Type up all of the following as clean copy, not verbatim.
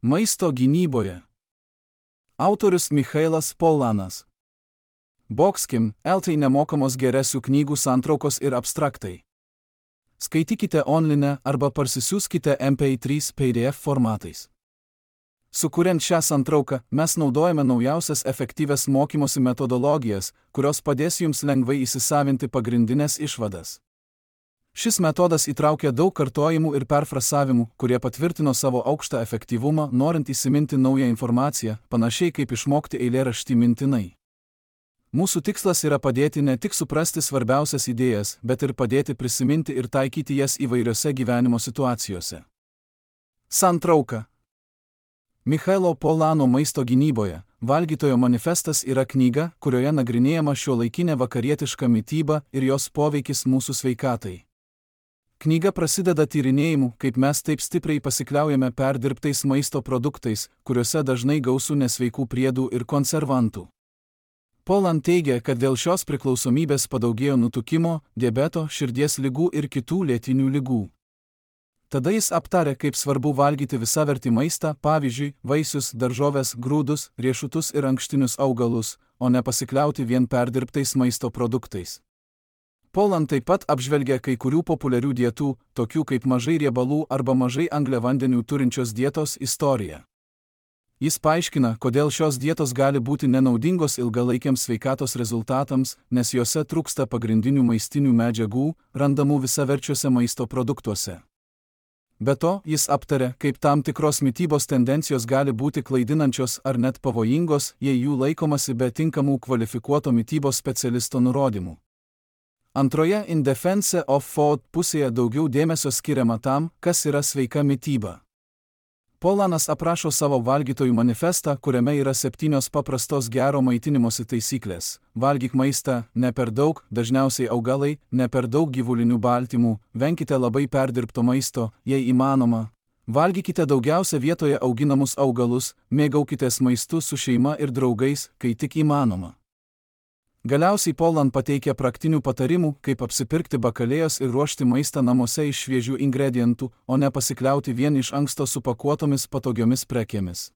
Maisto gynyboje. Autorius Michailas Polanas. Boxkim, LT nemokamos geresių knygų santraukos ir abstraktai. Skaitykite online arba parsisiųskite MP3 PDF formatais. Sukuriant šią santrauką, mes naudojame naujausias efektyvias mokymosi metodologijas, kurios padės jums lengvai įsisavinti pagrindinės išvadas. Šis metodas įtraukia daug kartojimų ir perfrasavimų, kurie patvirtino savo aukštą efektyvumą, norint įsiminti naują informaciją, panašiai kaip išmokti eilėraštį mintinai. Mūsų tikslas yra padėti ne tik suprasti svarbiausias idėjas, bet ir padėti prisiminti ir taikyti jas įvairiose gyvenimo situacijose. Santrauka. Michailo Polano Maisto gynyboje. Valgytojo manifestas yra knyga, kurioje nagrinėjama šiuolaikinė vakarietiška mityba ir jos poveikis mūsų sveikatai. Knyga prasideda tyrinėjimu, kaip mes taip stipriai pasikliaujame perdirbtais maisto produktais, kuriuose dažnai gausu nesveikų priedų ir konservantų. Polan teigia, kad dėl šios priklausomybės padaugėjo nutukimo, diabeto, širdies ligų ir kitų lėtinių ligų. Tada jis aptarė, kaip svarbu valgyti visavertį maistą, pavyzdžiui, vaisius, daržoves, grūdus, riešutus ir ankštinius augalus, o ne pasikliauti vien perdirbtais maisto produktais. Polan taip pat apžvelgia kai kurių populiarių dietų, tokių kaip mažai riebalų arba mažai angliavandenių turinčios dietos istoriją. Jis paaiškina, kodėl šios dietos gali būti nenaudingos ilgalaikiams sveikatos rezultatams, nes jose trūksta pagrindinių maistinių medžiagų, randamų visaverčiuose maisto produktuose. Be to, jis aptarė, kaip tam tikros mitybos tendencijos gali būti klaidinančios ar net pavojingos, jei jų laikomasi be tinkamų kvalifikuoto mitybos specialisto nurodymų. Antroje In Defense of Food pusėje daugiau dėmesio skiriama tam, kas yra sveika mityba. Polanas aprašo savo valgytojų manifestą, kuriame yra 7 paprastos gero maitinimosi taisyklės. Valgyk maistą, ne per daug, dažniausiai augalai, ne per daug gyvulinių baltymų, venkite labai perdirbto maisto, jei įmanoma. Valgykite daugiausia vietoje auginamus augalus, mėgaukitės maistu su šeima ir draugais, kai tik įmanoma. Galiausiai Polan pateikia praktinių patarimų, kaip apsipirkti bakalėjos ir ruošti maistą namuose iš šviežių ingredientų, o ne pasikliauti vien iš anksto supakuotomis patogiomis prekėmis.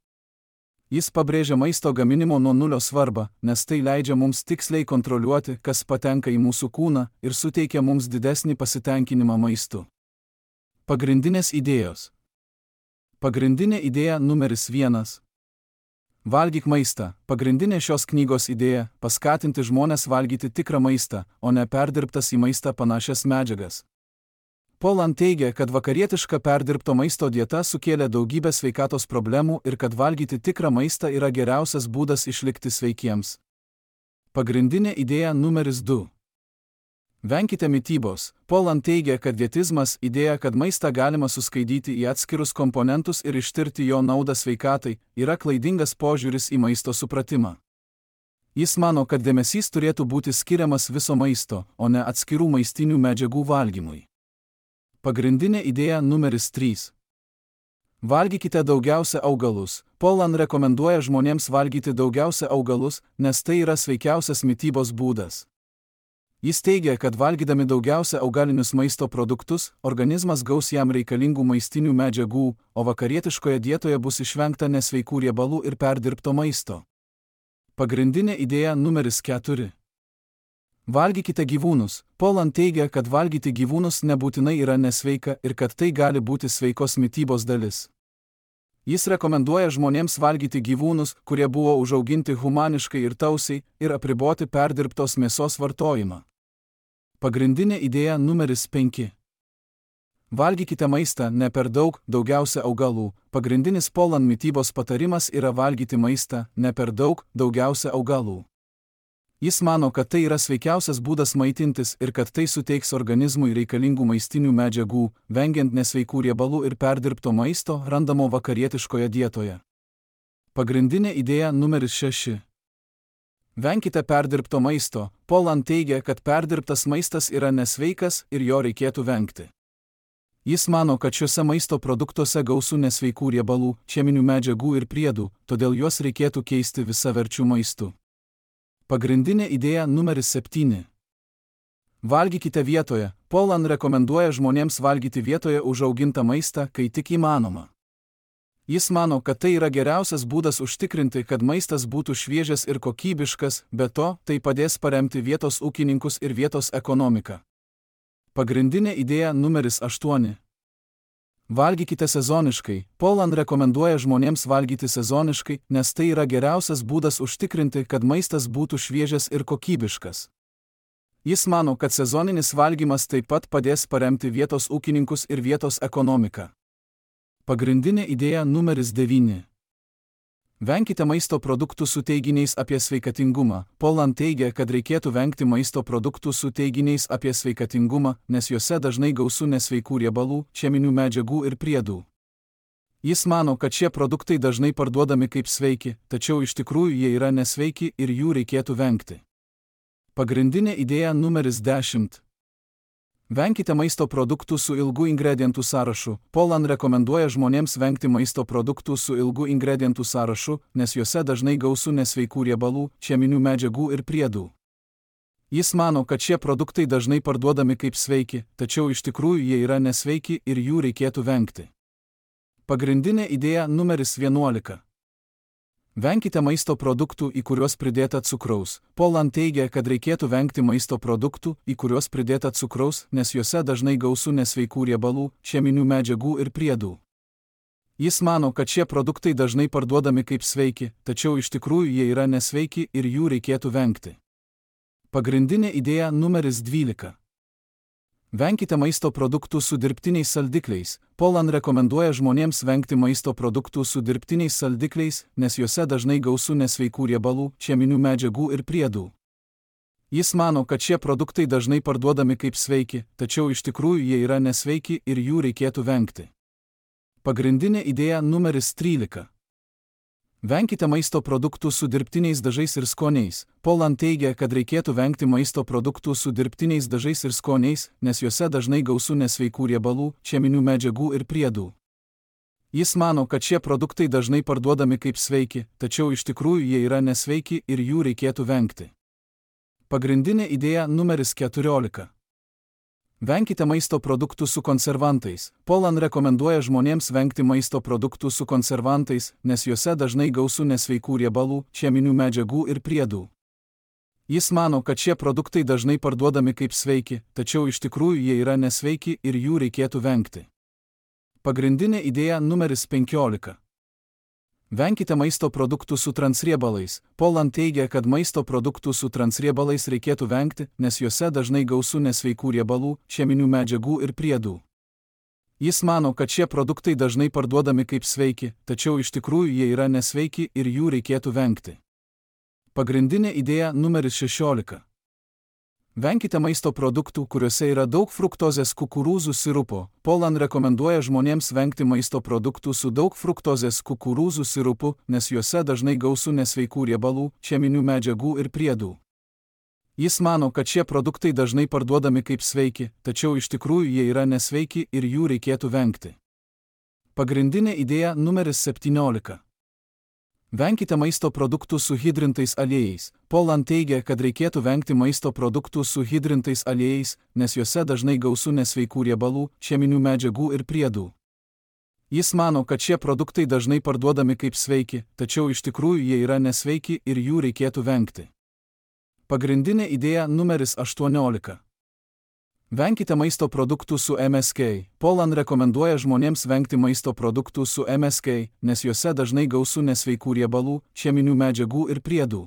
Jis pabrėžia maisto gaminimo nuo nulio svarbą, nes tai leidžia mums tiksliai kontroliuoti, kas patenka į mūsų kūną ir suteikia mums didesnį pasitenkinimą maistu. Pagrindinės idėjos. Pagrindinė idėja numeris 1. Valgyk maistą. Pagrindinė šios knygos idėja – paskatinti žmones valgyti tikrą maistą, o ne perdirbtas į maistą panašias medžiagas. Polan teigia, kad vakarietiška perdirbto maisto dieta sukėlė daugybę sveikatos problemų ir kad valgyti tikrą maistą yra geriausias būdas išlikti sveikiems. Pagrindinė idėja numeris 2. Venkite mitybos. Polan teigia, kad dietizmas, idėja, kad maistą galima suskaidyti į atskirus komponentus ir ištirti jo naudą sveikatai, yra klaidingas požiūris į maisto supratimą. Jis mano, kad dėmesys turėtų būti skiriamas viso maisto, o ne atskirų maistinių medžiagų valgymui. Pagrindinė idėja numeris 3. Valgykite daugiausia augalus. Polan rekomenduoja žmonėms valgyti daugiausia augalus, nes tai yra sveikiausias mitybos būdas. Jis teigia, kad valgydami daugiausia augalinius maisto produktus, organizmas gaus jam reikalingų maistinių medžiagų, o vakarietiškoje dietoje bus išvengta nesveikų riebalų ir perdirbto maisto. Pagrindinė idėja numeris 4. Valgykite gyvūnus. Polan teigia, kad valgyti gyvūnus nebūtinai yra nesveika ir kad tai gali būti sveikos mitybos dalis. Jis rekomenduoja žmonėms valgyti gyvūnus, kurie buvo užauginti humaniškai ir tausiai, ir apriboti perdirbtos mėsos vartojimą. Pagrindinė idėja numeris 5. Valgykite maistą, ne per daug, daugiausia augalų. Pagrindinis Polan mitybos patarimas yra valgyti maistą, ne per daug, daugiausia augalų. Jis mano, kad tai yra sveikiausias būdas maitintis ir kad tai suteiks organizmui reikalingų maistinių medžiagų, vengiant nesveikų riebalų ir perdirbto maisto, randamo vakarietiškoje dietoje. Pagrindinė idėja numeris 6. Venkite perdirbto maisto. Polan teigia, kad perdirbtas maistas yra nesveikas ir jo reikėtų vengti. Jis mano, kad šiuose maisto produktuose gausu nesveikų riebalų, cheminių medžiagų ir priedų, todėl juos reikėtų keisti visaverčiu maistu. Pagrindinė idėja numeris 7. Valgykite vietoje. Polan rekomenduoja žmonėms valgyti vietoje užaugintą maistą, kai tik įmanoma. Jis mano, kad tai yra geriausias būdas užtikrinti, kad maistas būtų šviežias ir kokybiškas, be to, tai padės paremti vietos ūkininkus ir vietos ekonomiką. Pagrindinė idėja numeris 8. Valgykite sezoniškai. Poland rekomenduoja žmonėms valgyti sezoniškai, nes tai yra geriausias būdas užtikrinti, kad maistas būtų šviežias ir kokybiškas. Jis mano, kad sezoninis valgymas taip pat padės paremti vietos ūkininkus ir vietos ekonomiką. Pagrindinė idėja numeris 9. Venkite maisto produktų su teiginiais apie sveikatingumą. Poland teigia, kad reikėtų vengti maisto produktų su teiginiais apie sveikatingumą, nes juose dažnai gausu nesveikų riebalų, cheminių medžiagų ir priedų. Jis mano, kad šie produktai dažnai parduodami kaip sveiki, tačiau iš tikrųjų jie yra nesveiki ir jų reikėtų vengti. Pagrindinė idėja numeris 10. Venkite maisto produktų su ilgu ingredientų sąrašu. Poland rekomenduoja žmonėms vengti maisto produktų su ilgu ingredientų sąrašu, nes juose dažnai gausu nesveikų riebalų, cheminių medžiagų ir priedų. Jis mano, kad šie produktai dažnai parduodami kaip sveiki, tačiau iš tikrųjų jie yra nesveiki ir jų reikėtų vengti. Pagrindinė idėja numeris 11. Venkite maisto produktų, į kuriuos pridėta cukraus. Poland teigia, kad reikėtų vengti maisto produktų, į kuriuos pridėta cukraus, nes juose dažnai gausu nesveikų riebalų, cheminių medžiagų ir priedų. Jis mano, kad šie produktai dažnai parduodami kaip sveiki, tačiau iš tikrųjų jie yra nesveiki ir jų reikėtų vengti. Pagrindinė idėja numeris 12. Venkite maisto produktų su dirbtiniais saldikliais. Poland rekomenduoja žmonėms vengti maisto produktų su dirbtiniais saldikliais, nes juose dažnai gausu nesveikų riebalų, cheminių medžiagų ir priedų. Jis mano, kad šie produktai dažnai parduodami kaip sveiki, tačiau iš tikrųjų jie yra nesveiki ir jų reikėtų vengti. Pagrindinė idėja numeris 13. Venkite maisto produktų su dirbtiniais dažais ir skoniais. Poland teigia, kad reikėtų vengti maisto produktų su dirbtiniais dažais ir skoniais, nes juose dažnai gausu nesveikų riebalų, cheminių medžiagų ir priedų. Jis mano, kad šie produktai dažnai parduodami kaip sveiki, tačiau iš tikrųjų jie yra nesveiki ir jų reikėtų vengti. Pagrindinė idėja numeris 14. Venkite maisto produktų su konservantais. Poland rekomenduoja žmonėms vengti maisto produktų su konservantais, nes juose dažnai gausu nesveikų riebalų, cheminių medžiagų ir priedų. Jis mano, kad šie produktai dažnai parduodami kaip sveiki, tačiau iš tikrųjų jie yra nesveiki ir jų reikėtų vengti. Pagrindinė idėja numeris 15. Venkite maisto produktų su transriebalais. Poland teigia, kad maisto produktų su transriebalais reikėtų vengti, nes juose dažnai gausu nesveikų riebalų, cheminių medžiagų ir priedų. Jis mano, kad šie produktai dažnai parduodami kaip sveiki, tačiau iš tikrųjų jie yra nesveiki ir jų reikėtų vengti. Pagrindinė idėja numeris 16. Venkite maisto produktų, kuriuose yra daug fruktozės kukurūzų sirupo. Poland rekomenduoja žmonėms vengti maisto produktų su daug fruktozės kukurūzų sirupu, nes juose dažnai gausu nesveikų riebalų, cheminių medžiagų ir priedų. Jis mano, kad šie produktai dažnai parduodami kaip sveiki, tačiau iš tikrųjų jie yra nesveiki ir jų reikėtų vengti. Pagrindinė idėja numeris 17. Venkite maisto produktų su hidrintais aliejais. Poland teigia, kad reikėtų vengti maisto produktų su hidrintais aliejais, nes juose dažnai gausu nesveikų riebalų, cheminių medžiagų ir priedų. Jis mano, kad šie produktai dažnai parduodami kaip sveiki, tačiau iš tikrųjų jie yra nesveiki ir jų reikėtų vengti. Pagrindinė idėja numeris 18. Venkite maisto produktų su MSK. Poland rekomenduoja žmonėms vengti maisto produktų su MSK, nes juose dažnai gausu nesveikų riebalų, cheminių medžiagų ir priedų.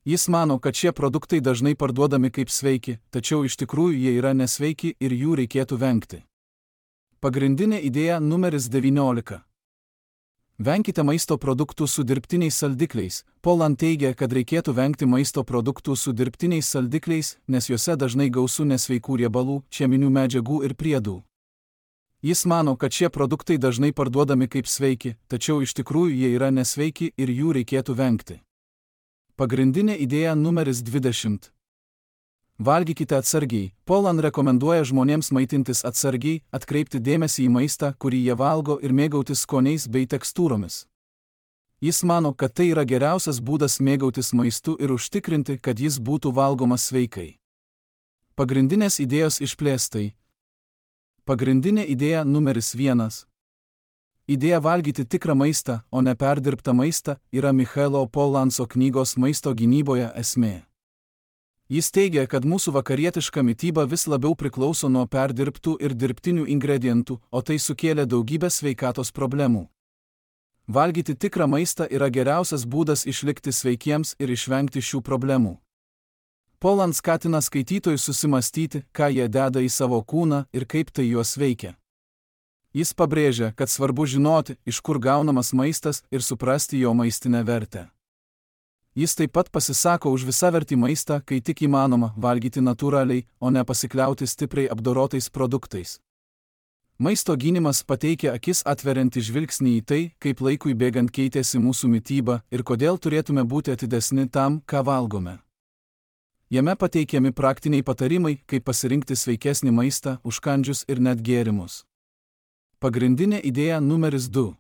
Jis mano, kad šie produktai dažnai parduodami kaip sveiki, tačiau iš tikrųjų jie yra nesveiki ir jų reikėtų vengti. Pagrindinė idėja numeris 19. Venkite maisto produktų su dirbtiniais saldikliais. Poland teigia, kad reikėtų vengti maisto produktų su dirbtiniais saldikliais, nes juose dažnai gausu nesveikų riebalų, cheminių medžiagų ir priedų. Jis mano, kad šie produktai dažnai parduodami kaip sveiki, tačiau iš tikrųjų jie yra nesveiki ir jų reikėtų vengti. Pagrindinė idėja numeris 20. Valgykite atsargiai. Poland rekomenduoja žmonėms maitintis atsargiai, atkreipti dėmesį į maistą, kurį jie valgo ir mėgautis skoniais bei tekstūromis. Jis mano, kad tai yra geriausias būdas mėgautis maistu ir užtikrinti, kad jis būtų valgomas sveikai. Pagrindinės idėjos išplėstai. Pagrindinė idėja numeris 1. Idėja valgyti tikrą maistą, o ne perdirbtą maistą, yra Michailo Pollanco knygos Maisto gynyboje esmė. Jis teigia, kad mūsų vakarietiška mityba vis labiau priklauso nuo perdirbtų ir dirbtinių ingredientų, o tai sukėlė daugybę sveikatos problemų. Valgyti tikrą maistą yra geriausias būdas išlikti sveikiems ir išvengti šių problemų. Pollan skatina skaitytojus susimastyti, ką jie deda į savo kūną ir kaip tai juos veikia. Jis pabrėžia, kad svarbu žinoti, iš kur gaunamas maistas ir suprasti jo maistinę vertę. Jis taip pat pasisako už visavertį maistą, kai tik įmanoma valgyti natūraliai, o ne pasikliauti stipriai apdorotais produktais. Maisto gynimas pateikia akis atveriantį žvilgsnį į tai, kaip laikui bėgant keitėsi mūsų mityba ir kodėl turėtume būti atidesni tam, ką valgome. Jame pateikiami praktiniai patarimai, kaip pasirinkti sveikesnį maistą, užkandžius ir net gėrimus. Pagrindinė idėja numeris 2.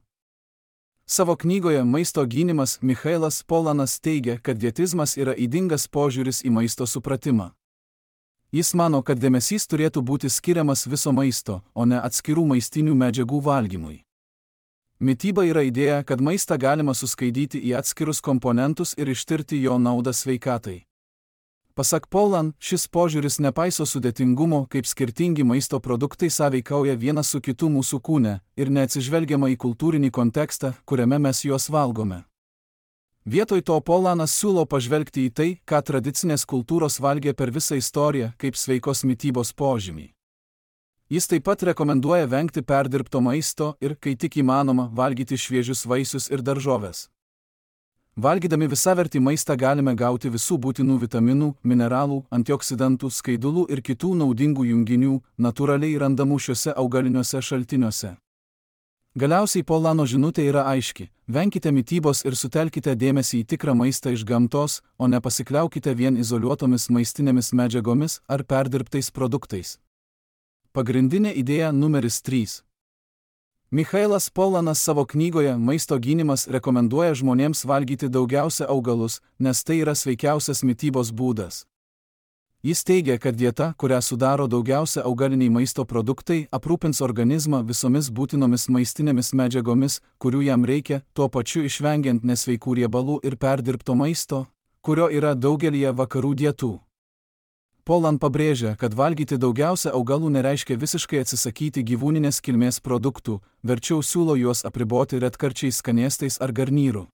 Savo knygoje Maisto gynimas Michailas Pollanas teigia, kad dietizmas yra ydingas požiūris į maisto supratimą. Jis mano, kad dėmesys turėtų būti skiriamas viso maisto, o ne atskirų maistinių medžiagų valgymui. Mityba yra idėja, kad maistą galima suskaidyti į atskirus komponentus ir ištirti jo naudą sveikatai. Pasak Pollan, šis požiūris nepaiso sudėtingumo, kaip skirtingi maisto produktai sąveikauja vienas su kitu mūsų kūne ir neatsižvelgiama į kultūrinį kontekstą, kuriame mes juos valgome. Vietoj to Pollanas siūlo pažvelgti į tai, ką tradicinės kultūros valgė per visą istoriją, kaip sveikos mitybos požymį. Jis taip pat rekomenduoja vengti perdirbto maisto ir, kai tik įmanoma, valgyti šviežius vaisius ir daržoves. Valgydami visavertį maistą galime gauti visų būtinų vitaminų, mineralų, antioksidantų, skaidulų ir kitų naudingų junginių, natūraliai randamų šiuose augaliniuose šaltiniuose. Galiausiai Pollano žinutė yra aiški: venkite mitybos ir sutelkite dėmesį į tikrą maistą iš gamtos, o ne pasikliaukite vien izoliuotomis maistinėmis medžiagomis ar perdirbtais produktais. Pagrindinė idėja numeris 3. Michailas Pollanas savo knygoje Maisto gynimas rekomenduoja žmonėms valgyti daugiausia augalus, nes tai yra sveikiausias mitybos būdas. Jis teigia, kad dieta, kurią sudaro daugiausia augaliniai maisto produktai, aprūpins organizmą visomis būtinomis maistinėmis medžiagomis, kurių jam reikia, tuo pačiu išvengiant nesveikų riebalų ir perdirbto maisto, kurio yra daugelyje vakarų dietų. Pollan pabrėžia, kad valgyti daugiausia augalų nereiškia visiškai atsisakyti gyvūninės kilmės produktų, verčiau siūlo juos apriboti retkarčiais skanėstais ar garnyru.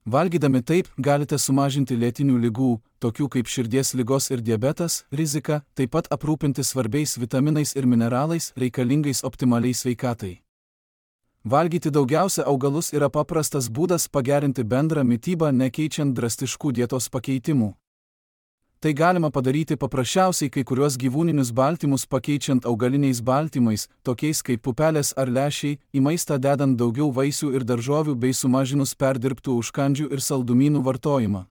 Valgydami taip, galite sumažinti lėtinių ligų, tokių kaip širdies ligos ir diabetas, riziką, taip pat aprūpinti svarbiais vitaminais ir mineralais, reikalingais optimaliai sveikatai. Valgyti daugiausia augalus yra paprastas būdas pagerinti bendrą mitybą, nekeičiant drastiškų dietos pakeitimų. Tai galima padaryti paprasčiausiai kai kuriuos gyvūninius baltymus pakeičiant augaliniais baltymais, tokiais kaip pupelės ar lęšiai, į maistą dedant daugiau vaisių ir daržovių bei sumažinus perdirbtų užkandžių ir saldumynų vartojimą.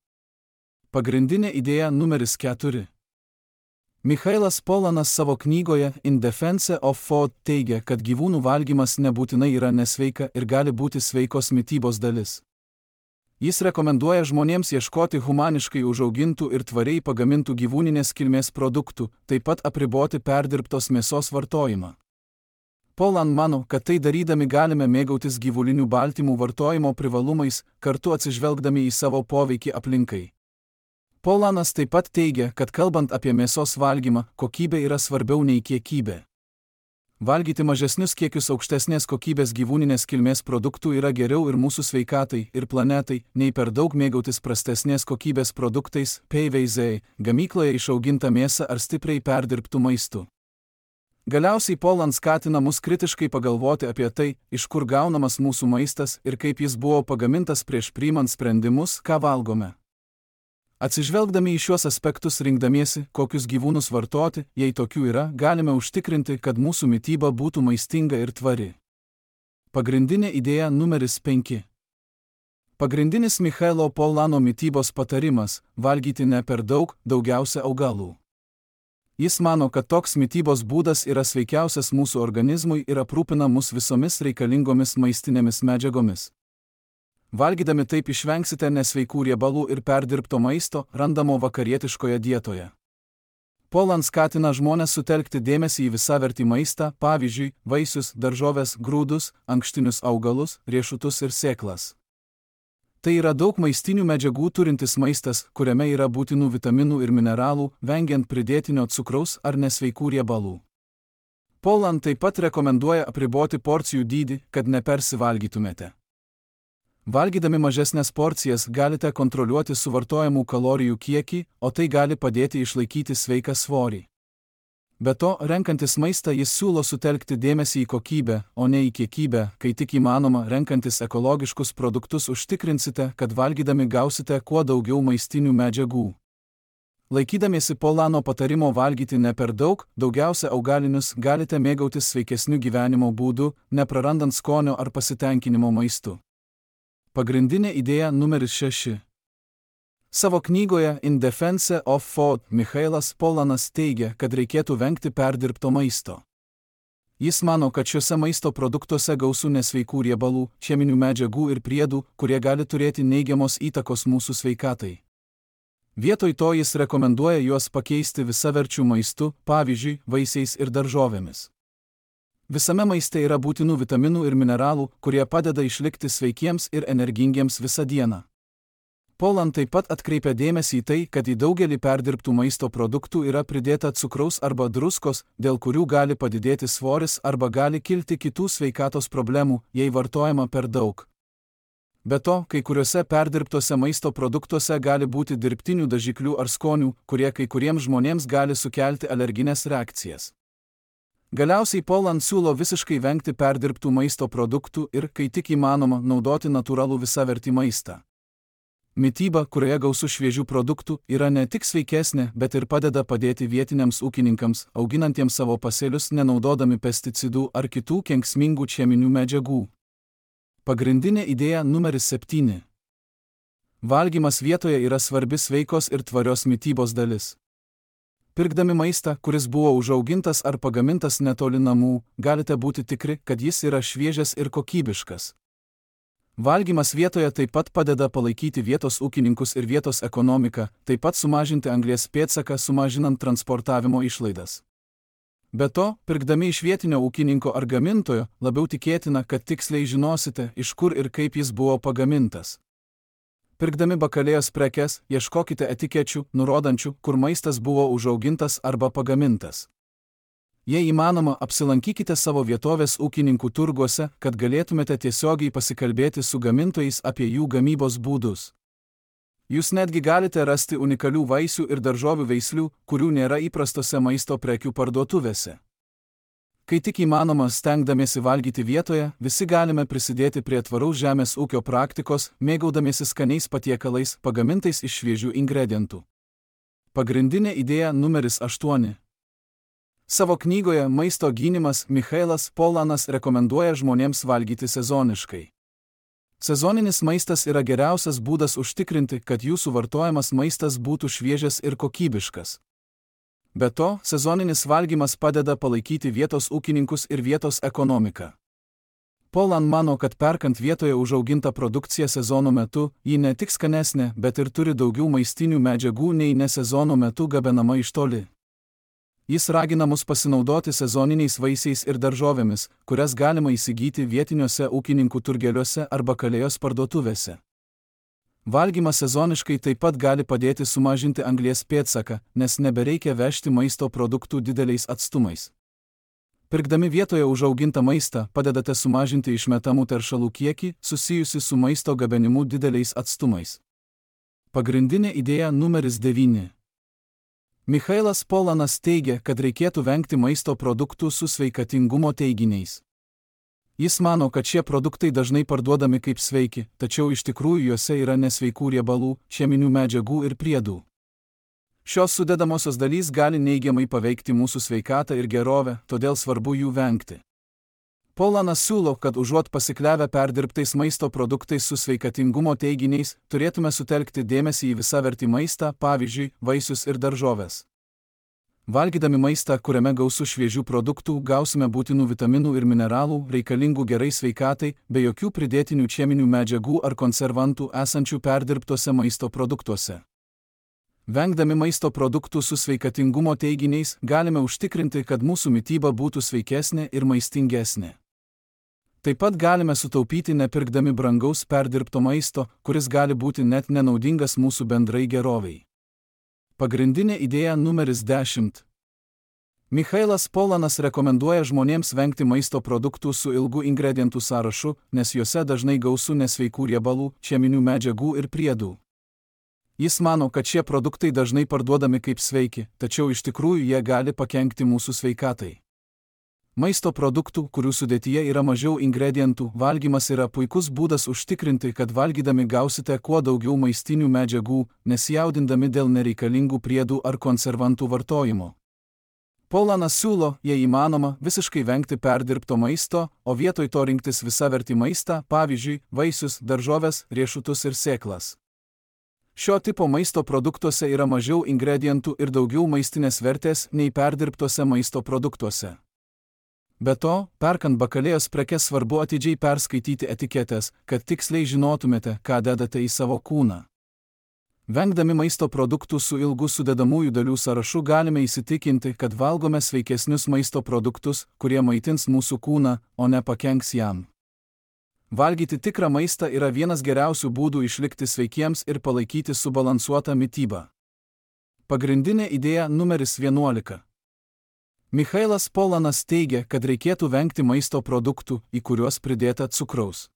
Pagrindinė idėja numeris 4. Michailas Pollanas savo knygoje In Defense of Food teigia, kad gyvūnų valgymas nebūtinai yra nesveika ir gali būti sveikos mitybos dalis. Jis rekomenduoja žmonėms ieškoti humaniškai užaugintų ir tvariai pagamintų gyvūninės kilmės produktų, taip pat apriboti perdirbtos mėsos vartojimą. Pollan mano, kad tai darydami galime mėgautis gyvulinių baltymų vartojimo privalumais, kartu atsižvelgdami į savo poveikį aplinkai. Pollanas taip pat teigia, kad kalbant apie mėsos valgymą, kokybė yra svarbiau nei kiekybė. Valgyti mažesnius kiekius aukštesnės kokybės gyvūninės kilmės produktų yra geriau ir mūsų sveikatai, ir planetai, nei per daug mėgautis prastesnės kokybės produktais, PVZ, gamykloje išaugintą mėsą ar stipriai perdirbtų maistų. Galiausiai Pollan skatina mus kritiškai pagalvoti apie tai, iš kur gaunamas mūsų maistas ir kaip jis buvo pagamintas prieš priimant sprendimus, ką valgome. Atsižvelgdami į šiuos aspektus rinkdamiesi, kokius gyvūnus vartoti, jei tokių yra, galime užtikrinti, kad mūsų mityba būtų maistinga ir tvari. Pagrindinė idėja numeris 5. Pagrindinis Michailo Pollano mitybos patarimas – valgyti ne per daug, daugiausia augalų. Jis mano, kad toks mitybos būdas yra sveikiausias mūsų organizmui ir aprūpina mus visomis reikalingomis maistinėmis medžiagomis. Valgydami taip išvengsite nesveikų riebalų ir perdirbto maisto, randamo vakarietiškoje dietoje. Poland skatina žmones sutelkti dėmesį į visavertį maistą, pavyzdžiui, vaisius, daržoves, grūdus, ankštinius augalus, riešutus ir sėklas. Tai yra daug maistinių medžiagų turintis maistas, kuriame yra būtinų vitaminų ir mineralų, vengiant pridėtinio cukraus ar nesveikų riebalų. Poland taip pat rekomenduoja apriboti porcijų dydį, kad nepersivalgytumėte. Valgydami mažesnės porcijas galite kontroliuoti suvartojamų kalorijų kiekį, o tai gali padėti išlaikyti sveiką svorį. Be to, renkantis maistą jis siūlo sutelkti dėmesį į kokybę, o ne į kiekybę, kai tik įmanoma, renkantis ekologiškus produktus užtikrinsite, kad valgydami gausite kuo daugiau maistinių medžiagų. Laikydamiesi Polano patarimo valgyti ne per daug, daugiausia augalinius, galite mėgautis sveikesniu gyvenimo būdu, neprarandant skonio ar pasitenkinimo maistu. Pagrindinė idėja numeris 6. Savo knygoje In Defense of Food Michailas Polanas teigia, kad reikėtų vengti perdirbto maisto. Jis mano, kad šiuose maisto produktuose gausu nesveikų riebalų, cheminių medžiagų ir priedų, kurie gali turėti neigiamos įtakos mūsų sveikatai. Vietoj to jis rekomenduoja juos pakeisti visaverčių maistu, pavyzdžiui, vaisiais ir daržovėmis. Visame maiste yra būtinų vitaminų ir mineralų, kurie padeda išlikti sveikiems ir energingiems visą dieną. Poland taip pat atkreipia dėmesį į tai, kad į daugelį perdirbtų maisto produktų yra pridėta cukraus arba druskos, dėl kurių gali padidėti svoris arba gali kilti kitų sveikatos problemų, jei vartojama per daug. Be to, kai kuriuose perdirbtuose maisto produktuose gali būti dirbtinių dažiklių ar skonių, kurie kai kuriems žmonėms gali sukelti alergines reakcijas. Galiausiai Poland siūlo visiškai vengti perdirbtų maisto produktų ir, kai tik įmanoma, naudoti natūralų visavertį maistą. Mityba, kurioje gausu šviežių produktų, yra ne tik sveikesnė, bet ir padėti vietiniams ūkininkams, auginantiems savo pasėlius nenaudodami pesticidų ar kitų kenksmingų cheminių medžiagų. Pagrindinė idėja numeris 7. Valgymas vietoje yra svarbi sveikos ir tvarios mitybos dalis. Pirkdami maistą, kuris buvo užaugintas ar pagamintas netoli namų, galite būti tikri, kad jis yra šviežias ir kokybiškas. Valgymas vietoje taip pat padeda palaikyti vietos ūkininkus ir vietos ekonomiką, taip pat sumažinti anglies pėdsaką, sumažinant transportavimo išlaidas. Be to, pirkdami iš vietinio ūkininko ar gamintojo, labiau tikėtina, kad tiksliai žinosite, iš kur ir kaip jis buvo pagamintas. Pirkdami bakalėjos prekes, ieškokite etikečių, nurodančių, kur maistas buvo užaugintas arba pagamintas. Jei įmanoma, apsilankykite savo vietovės ūkininkų turguose, kad galėtumėte tiesiogiai pasikalbėti su gamintojais apie jų gamybos būdus. Jūs netgi galite rasti unikalių vaisių ir daržovių veislių, kurių nėra įprastose maisto prekių parduotuvėse. Kai tik įmanoma, stengdamiesi valgyti vietoje, visi galime prisidėti prie tvaraus žemės ūkio praktikos, mėgaudamiesi skaniais patiekalais, pagamintais iš šviežių ingredientų. Pagrindinė idėja numeris 8. Savo knygoje Maisto gynimas Michailas Polanas rekomenduoja žmonėms valgyti sezoniškai. Sezoninis maistas yra geriausias būdas užtikrinti, kad jūsų vartojamas maistas būtų šviežias ir kokybiškas. Be to, sezoninis valgymas padeda palaikyti vietos ūkininkus ir vietos ekonomiką. Poland mano, kad perkant vietoje užaugintą produkciją sezono metu, ji ne tik skanesnė, bet ir turi daugiau maistinių medžiagų nei ne sezono metu gabenama iš toli. Jis ragina mus pasinaudoti sezoniniais vaisiais ir daržovėmis, kurias galima įsigyti vietiniuose ūkininkų turgeliuose arba kalėjos parduotuvėse. Valgymas sezoniškai taip pat gali padėti sumažinti anglies pėdsaką, nes nebereikia vežti maisto produktų dideliais atstumais. Pirkdami vietoje užaugintą maistą, padedate sumažinti išmetamų teršalų kiekį, susijusi su maisto gabenimu dideliais atstumais. Pagrindinė idėja numeris 9. Michailas Polanas teigia, kad reikėtų vengti maisto produktų su sveikatingumo teiginiais. Jis mano, kad šie produktai dažnai parduodami kaip sveiki, tačiau iš tikrųjų juose yra nesveikų riebalų, cheminių medžiagų ir priedų. Šios sudedamosios dalys gali neigiamai paveikti mūsų sveikatą ir gerovę, todėl svarbu jų vengti. Polanas siūlo, kad užuot pasikliavę perdirbtais maisto produktais su sveikatingumo teiginiais, turėtume sutelkti dėmesį į visavertį maistą, pavyzdžiui, vaisius ir daržoves. Valgydami maistą, kuriame gausu šviežių produktų, gausime būtinų vitaminų ir mineralų, reikalingų gerai sveikatai, be jokių pridėtinių cheminių medžiagų ar konservantų esančių perdirbtuose maisto produktuose. Vengdami maisto produktų su sveikatingumo teiginiais, galime užtikrinti, kad mūsų mityba būtų sveikesnė ir maistingesnė. Taip pat galime sutaupyti nepirkdami brangaus perdirbto maisto, kuris gali būti net nenaudingas mūsų bendrai geroviai. Pagrindinė idėja numeris 10. Michailas Polanas rekomenduoja žmonėms vengti maisto produktų su ilgu ingredientų sąrašu, nes juose dažnai gausu nesveikų riebalų, cheminių medžiagų ir priedų. Jis mano, kad šie produktai dažnai parduodami kaip sveiki, tačiau iš tikrųjų jie gali pakenkti mūsų sveikatai. Maisto produktų, kurių sudėtyje yra mažiau ingredientų, valgymas yra puikus būdas užtikrinti, kad valgydami gausite kuo daugiau maistinių medžiagų, nesijaudindami dėl nereikalingų priedų ar konservantų vartojimo. Polanas siūlo, jei įmanoma, visiškai vengti perdirbto maisto, o vietoj to rinktis visavertį maistą, pavyzdžiui, vaisius, daržoves, riešutus ir sėklas. Šio tipo maisto produktuose yra mažiau ingredientų ir daugiau maistinės vertės nei perdirbtuose maisto produktuose. Be to, perkant bakalėjos prekes svarbu atidžiai perskaityti etiketes, kad tiksliai žinotumėte, ką dedate į savo kūną. Vengdami maisto produktų su ilgu sudedamųjų dalių sąrašu galime įsitikinti, kad valgome sveikesnius maisto produktus, kurie maitins mūsų kūną, o ne pakenks jam. Valgyti tikrą maistą yra vienas geriausių būdų išlikti sveikiems ir palaikyti subalansuotą mitybą. Pagrindinė idėja numeris 11. Michailas Polanas teigia, kad reikėtų vengti maisto produktų, į kuriuos pridėta cukraus.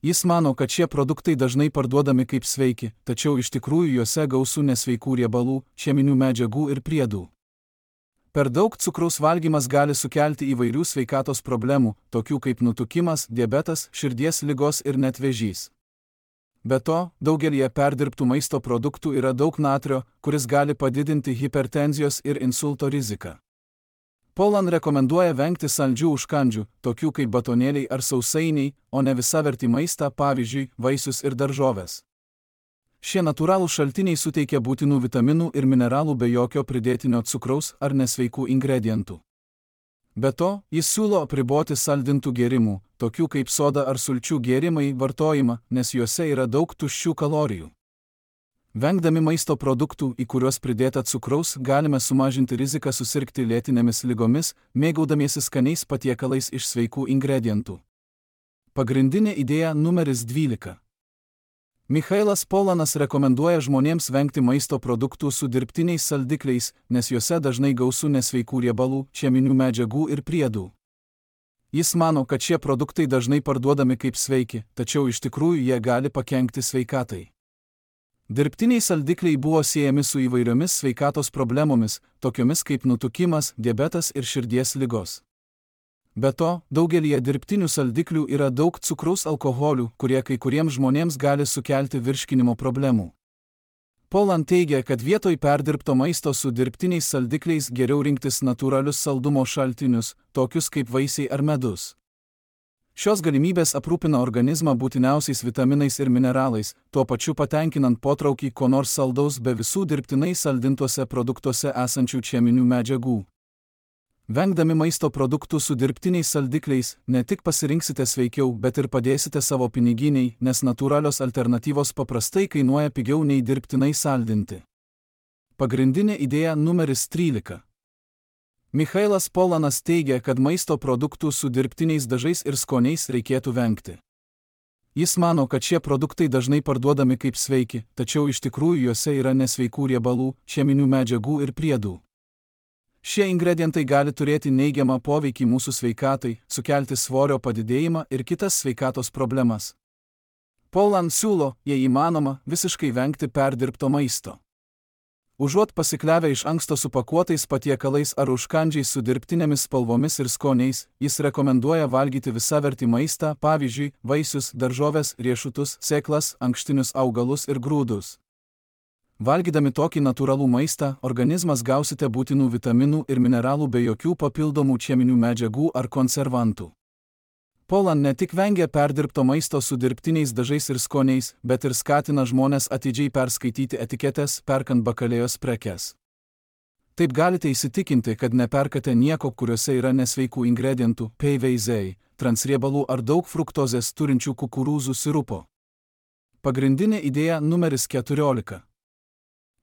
Jis mano, kad šie produktai dažnai parduodami kaip sveiki, tačiau iš tikrųjų juose gausu nesveikų riebalų, cheminių medžiagų ir priedų. Per daug cukraus valgymas gali sukelti įvairių sveikatos problemų, tokių kaip nutukimas, diabetas, širdies ligos ir net vėžys. Be to, daugelyje perdirbtų maisto produktų yra daug natrio, kuris gali padidinti hipertenzijos ir insulto riziką. Polan rekomenduoja vengti saldžių užkandžių, tokių kaip batonėliai ar sausainiai, o ne visavertį maistą, pavyzdžiui, vaisius ir daržoves. Šie natūralūs šaltiniai suteikia būtinų vitaminų ir mineralų be jokio pridėtinio cukraus ar nesveikų ingredientų. Be to, jis siūlo apriboti saldintų gėrimų, tokių kaip soda ar sulčių gėrimai, vartojimą, nes juose yra daug tuščių kalorijų. Vengdami maisto produktų, į kuriuos pridėta cukraus, galime sumažinti riziką susirgti lėtinėmis ligomis, mėgaudamiesi skaniais patiekalais iš sveikų ingredientų. Pagrindinė idėja numeris 12. Michailas Polanas rekomenduoja žmonėms vengti maisto produktų su dirbtiniais saldikliais, nes juose dažnai gausu nesveikų riebalų, cheminių medžiagų ir priedų. Jis mano, kad šie produktai dažnai parduodami kaip sveiki, tačiau iš tikrųjų jie gali pakenkti sveikatai. Dirbtiniai saldikliai buvo siejami su įvairiomis sveikatos problemomis, tokiomis kaip nutukimas, diabetas ir širdies ligos. Be to, daugelyje dirbtinių saldiklių yra daug cukraus alkoholių, kurie kai kuriems žmonėms gali sukelti virškinimo problemų. Polan teigia, kad vietoj perdirbto maisto su dirbtiniais saldikliais geriau rinktis natūralius saldumo šaltinius, tokius kaip vaisiai ar medus. Šios galimybės aprūpina organizmą būtiniausiais vitaminais ir mineralais, tuo pačiu patenkinant potraukį ko nors saldaus be visų dirbtinai saldintuose produktuose esančių cheminių medžiagų. Vengdami maisto produktų su dirbtiniais saldikliais, ne tik pasirinksite sveikiau, bet ir padėsite savo piniginiai, nes natūralios alternatyvos paprastai kainuoja pigiau nei dirbtinai saldinti. Pagrindinė idėja numeris 13. Michailas Polanas teigia, kad maisto produktų su dirbtiniais dažais ir skoniais reikėtų vengti. Jis mano, kad šie produktai dažnai parduodami kaip sveiki, tačiau iš tikrųjų juose yra nesveikų riebalų, cheminių medžiagų ir priedų. Šie ingredientai gali turėti neigiamą poveikį mūsų sveikatai, sukelti svorio padidėjimą ir kitas sveikatos problemas. Polan siūlo, jei įmanoma, visiškai vengti perdirbto maisto. Užuot pasikliavę iš anksto supakuotais patiekalais ar užkandžiais su dirbtinėmis spalvomis ir skoniais, jis rekomenduoja valgyti visavertį maistą, pavyzdžiui, vaisius, daržoves, riešutus, sėklas, ankštinius augalus ir grūdus. Valgydami tokį natūralų maistą, organizmas gausite būtinų vitaminų ir mineralų be jokių papildomų cheminių medžiagų ar konservantų. Polan ne tik vengia perdirbto maisto su dirbtiniais dažais ir skoniais, bet ir skatina žmones atidžiai perskaityti etiketes, perkant bakalėjos prekes. Taip galite įsitikinti, kad neperkate nieko, kuriuose yra nesveikų ingredientų, PVZ, transriebalų ar daug fruktozės turinčių kukurūzų sirupo. Pagrindinė idėja numeris 14.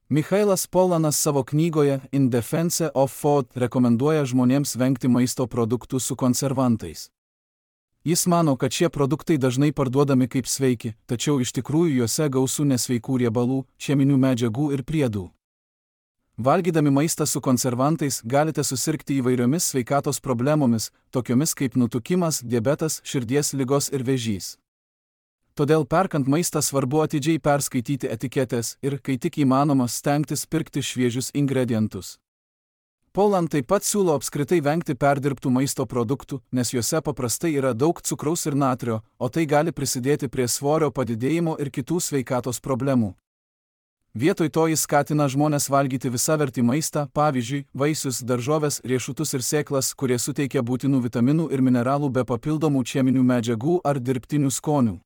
Michailas Polanas savo knygoje In Defense of Food rekomenduoja žmonėms vengti maisto produktų su konservantais. Jis mano, kad šie produktai dažnai parduodami kaip sveiki, tačiau iš tikrųjų juose gausu nesveikų riebalų, cheminių medžiagų ir priedų. Valgydami maistą su konservantais galite susirgti įvairiomis sveikatos problemomis, tokiomis kaip nutukimas, diabetas, širdies ligos ir vėžys. Todėl perkant maistą svarbu atidžiai perskaityti etiketės ir, kai tik įmanoma, stengtis pirkti šviežius ingredientus. Poland taip pat siūlo apskritai vengti perdirbtų maisto produktų, nes juose paprastai yra daug cukraus ir natrio, o tai gali prisidėti prie svorio padidėjimo ir kitų sveikatos problemų. Vietoj to jis skatina žmones valgyti visavertį maistą, pavyzdžiui, vaisius, daržoves, riešutus ir sėklas, kurie suteikia būtinų vitaminų ir mineralų be papildomų cheminių medžiagų ar dirbtinių skonių.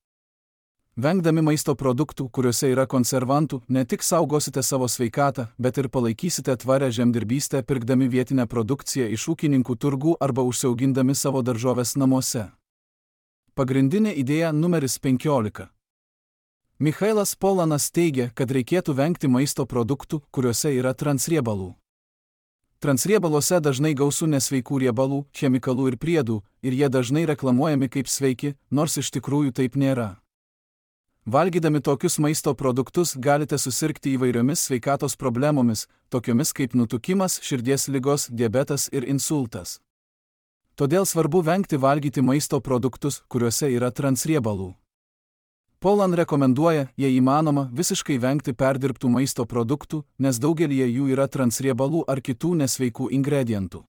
Vengdami maisto produktų, kuriuose yra konservantų, ne tik saugosite savo sveikatą, bet ir palaikysite tvarią žemdirbystę pirkdami vietinę produkciją iš ūkininkų turgų arba užsiaugindami savo daržoves namuose. Pagrindinė idėja numeris 15. Michailas Polanas teigia, kad reikėtų vengti maisto produktų, kuriuose yra transriebalų. Transriebaluose dažnai gausu nesveikų riebalų, chemikalų ir priedų, ir jie dažnai reklamuojami kaip sveiki, nors iš tikrųjų taip nėra. Valgydami tokius maisto produktus galite susirgti įvairiomis sveikatos problemomis, tokiomis kaip nutukimas, širdies ligos, diabetas ir insultas. Todėl svarbu vengti valgyti maisto produktus, kuriuose yra transriebalų. Poland rekomenduoja, jei įmanoma, visiškai vengti perdirbtų maisto produktų, nes daugelyje jų yra transriebalų ar kitų nesveikų ingredientų.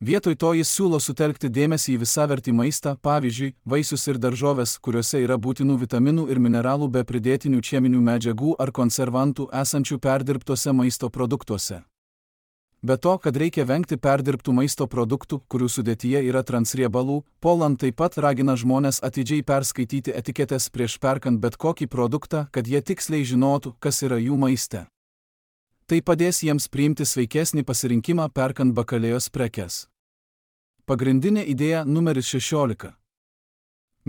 Vietoj to jis siūlo sutelkti dėmesį į visavertį maistą, pavyzdžiui, vaisius ir daržoves, kuriuose yra būtinų vitaminų ir mineralų be pridėtinių cheminių medžiagų ar konservantų esančių perdirbtuose maisto produktuose. Be to, kad reikia vengti perdirbtų maisto produktų, kurių sudėtyje yra transriebalų, Poland taip pat ragina žmones atidžiai perskaityti etiketes prieš perkant bet kokį produktą, kad jie tiksliai žinotų, kas yra jų maiste. Tai padės jiems priimti sveikesnį pasirinkimą perkant bakalėjos prekes. Pagrindinė idėja numeris 16.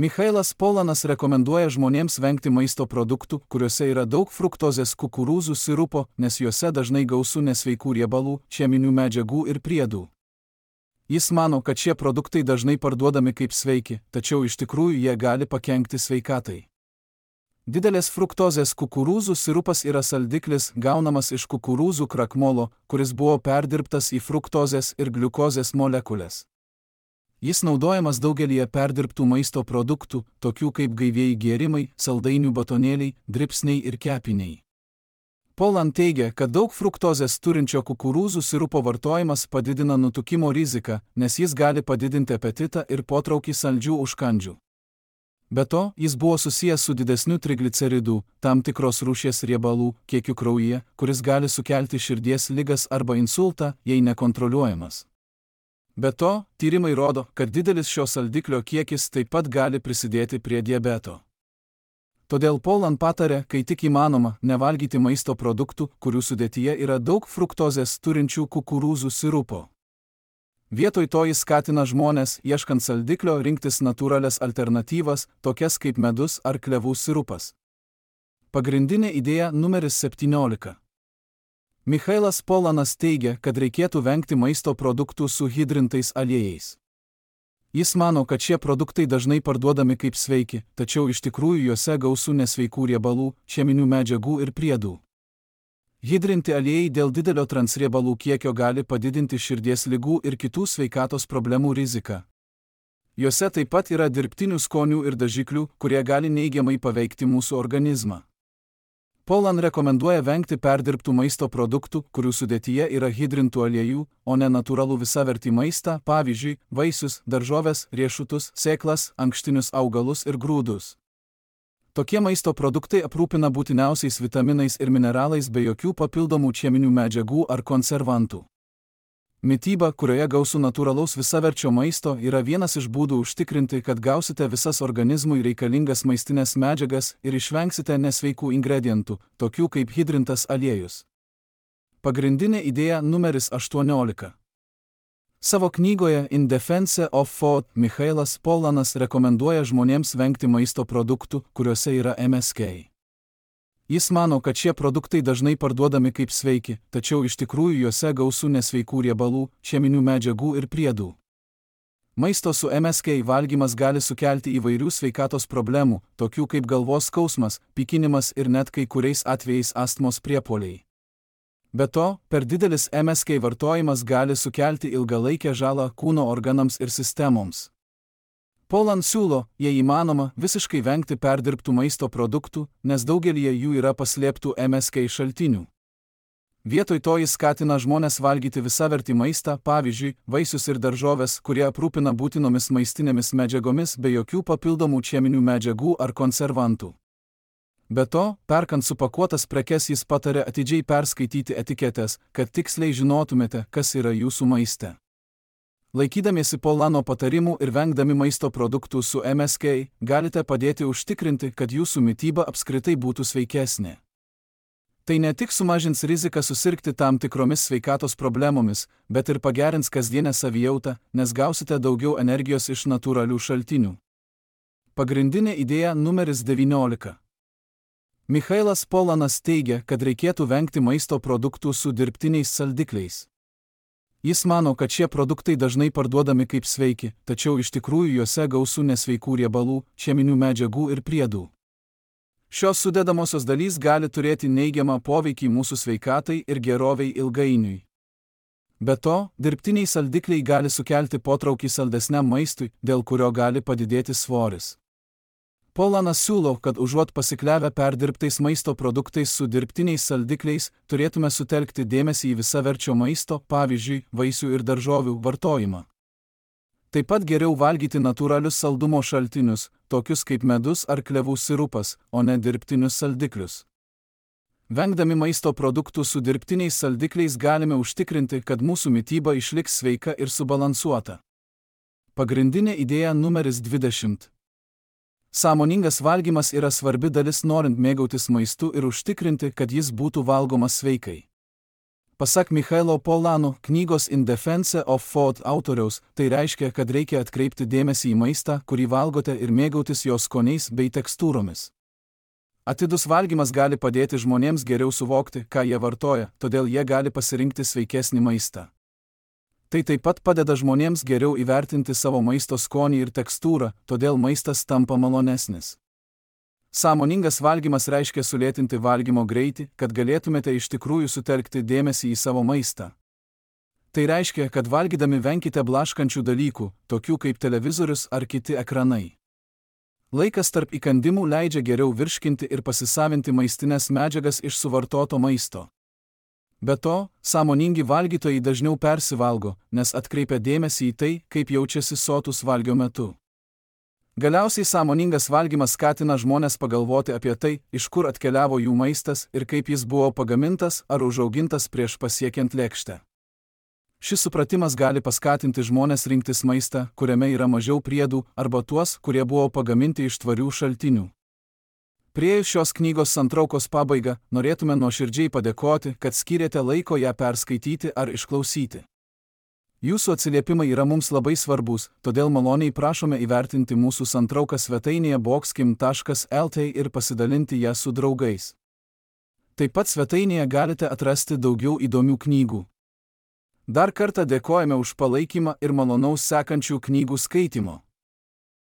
Michailas Polanas rekomenduoja žmonėms vengti maisto produktų, kuriuose yra daug fruktozės kukurūzų sirupo, nes juose dažnai gausu nesveikų riebalų, cheminių medžiagų ir priedų. Jis mano, kad šie produktai dažnai parduodami kaip sveiki, tačiau iš tikrųjų jie gali pakenkti sveikatai. Didelės fruktozės kukurūzų sirupas yra saldiklis gaunamas iš kukurūzų krakmolo, kuris buvo perdirbtas į fruktozės ir gliukozės molekulės. Jis naudojamas daugelyje perdirbtų maisto produktų, tokių kaip gaivieji gėrimai, saldainių batonėliai, dribsniai ir kepiniai. Poland teigia, kad daug fruktozės turinčio kukurūzų sirupo vartojimas padidina nutukimo riziką, nes jis gali padidinti apetitą ir potraukį saldžių užkandžių. Be to, jis buvo susijęs su didesniu trigliceridų, tam tikros rūšies riebalų, kiekiu kraujyje, kuris gali sukelti širdies ligas arba insultą, jei nekontroliuojamas. Be to, tyrimai rodo, kad didelis šio saldiklio kiekis taip pat gali prisidėti prie diabeto. Todėl Poland patarė, kai tik įmanoma, nevalgyti maisto produktų, kurių sudėtyje yra daug fruktozės turinčių kukurūzų sirupo. Vietoj to jis skatina žmones, ieškant saldiklio, rinktis natūralias alternatyvas, tokias kaip medus ar klevų sirupas. Pagrindinė idėja numeris 17. Michailas Polanas teigia, kad reikėtų vengti maisto produktų su hidrintais aliejais. Jis mano, kad šie produktai dažnai parduodami kaip sveiki, tačiau iš tikrųjų juose gausu nesveikų riebalų, cheminių medžiagų ir priedų. Hidrinti aliejai dėl didelio transriebalų kiekio gali padidinti širdies ligų ir kitų sveikatos problemų riziką. Juose taip pat yra dirbtinių skonių ir dažiklių, kurie gali neigiamai paveikti mūsų organizmą. Poland rekomenduoja vengti perdirbtų maisto produktų, kurių sudėtyje yra hidrintų aliejų, o ne natūralų visavertį maistą, pavyzdžiui, vaisius, daržoves, riešutus, sėklas, ankštinius augalus ir grūdus. Tokie maisto produktai aprūpina būtiniausiais vitaminais ir mineralais be jokių papildomų cheminių medžiagų ar konservantų. Mityba, kurioje gausu natūralaus visaverčio maisto, yra vienas iš būdų užtikrinti, kad gausite visas organizmui reikalingas maistinės medžiagas ir išvengsite nesveikų ingredientų, tokių kaip hidrintas aliejus. Pagrindinė idėja numeris 18. Savo knygoje In Defense of Food Michailas Polanas rekomenduoja žmonėms vengti maisto produktų, kuriuose yra MSK. Jis mano, kad šie produktai dažnai parduodami kaip sveiki, tačiau iš tikrųjų juose gausu nesveikų riebalų, cheminių medžiagų ir priedų. Maisto su MSK valgymas gali sukelti įvairių sveikatos problemų, tokių kaip galvos skausmas, pykinimas ir net kai kuriais atvejais astmos priepuoliai. Be to, per didelis MSK vartojimas gali sukelti ilgalaikę žalą kūno organams ir sistemoms. Poland siūlo, jei įmanoma, visiškai vengti perdirbtų maisto produktų, nes daugelyje jų yra paslėptų MSK šaltinių. Vietoj to jis skatina žmones valgyti visavertį maistą, pavyzdžiui, vaisius ir daržoves, kurie aprūpina būtinomis maistinėmis medžiagomis be jokių papildomų cheminių medžiagų ar konservantų. Be to, perkant supakuotas prekes jis pataria atidžiai perskaityti etiketes, kad tiksliai žinotumėte, kas yra jūsų maiste. Laikydamiesi Polano patarimų ir vengdami maisto produktų su MSK, galite padėti užtikrinti, kad jūsų mityba apskritai būtų sveikesnė. Tai ne tik sumažins riziką susirgti tam tikromis sveikatos problemomis, bet ir pagerins kasdienę savijautą, nes gausite daugiau energijos iš natūralių šaltinių. Pagrindinė idėja numeris 19. Michailas Polanas teigia, kad reikėtų vengti maisto produktų su dirbtiniais saldikliais. Jis mano, kad šie produktai dažnai parduodami kaip sveiki, tačiau iš tikrųjų juose gausu nesveikų riebalų, cheminių medžiagų ir priedų. Šios sudedamosios dalys gali turėti neigiamą poveikį mūsų sveikatai ir geroviai ilgainiui. Be to, dirbtiniai saldikliai gali sukelti potraukį saldesniam maistui, dėl kurio gali padidėti svoris. Polanas siūlo, kad užuot pasikliavę perdirbtais maisto produktais su dirbtiniais saldikliais, turėtume sutelkti dėmesį į visaverčio maisto, pavyzdžiui, vaisių ir daržovių vartojimą. Taip pat geriau valgyti natūralius saldumo šaltinius, tokius kaip medus ar klevų sirupas, o ne dirbtinius saldiklius. Vengdami maisto produktų su dirbtiniais saldikliais galime užtikrinti, kad mūsų mityba išliks sveika ir subalansuota. Pagrindinė idėja numeris 20. Sąmoningas valgymas yra svarbi dalis norint mėgautis maistu ir užtikrinti, kad jis būtų valgomas sveikai. Pasak Michailo Polano, knygos In Defense of Food autoriaus, tai reiškia, kad reikia atkreipti dėmesį į maistą, kurį valgote ir mėgautis jo skoniais bei tekstūromis. Atidus valgymas gali padėti žmonėms geriau suvokti, ką jie vartoja, todėl jie gali pasirinkti sveikesnį maistą. Tai taip pat padeda žmonėms geriau įvertinti savo maisto skonį ir tekstūrą, todėl maistas tampa malonesnis. Sąmoningas valgymas reiškia sulėtinti valgymo greitį, kad galėtumėte iš tikrųjų sutelkti dėmesį į savo maistą. Tai reiškia, kad valgydami venkite blaškančių dalykų, tokių kaip televizorius ar kiti ekranai. Laikas tarp įkandimų leidžia geriau virškinti ir pasisavinti maistinės medžiagas iš suvartoto maisto. Be to, sąmoningi valgytojai dažniau persivalgo, nes atkreipia dėmesį į tai, kaip jaučiasi sotus valgio metu. Galiausiai sąmoningas valgymas skatina žmones pagalvoti apie tai, iš kur atkeliavo jų maistas ir kaip jis buvo pagamintas ar užaugintas prieš pasiekiant lėkštę. Šis supratimas gali paskatinti žmones rinktis maistą, kuriame yra mažiau priedų, arba tuos, kurie buvo pagaminti iš tvarių šaltinių. Priėjus šios knygos santraukos pabaigą, norėtume nuoširdžiai padėkoti, kad skyrėte laiko ją perskaityti ar išklausyti. Jūsų atsiliepimai yra mums labai svarbus, todėl maloniai prašome įvertinti mūsų santrauką svetainėje boxkim.lt ir pasidalinti ją su draugais. Taip pat svetainėje galite atrasti daugiau įdomių knygų. Dar kartą dėkojame už palaikymą ir malonaus sekančių knygų skaitymo.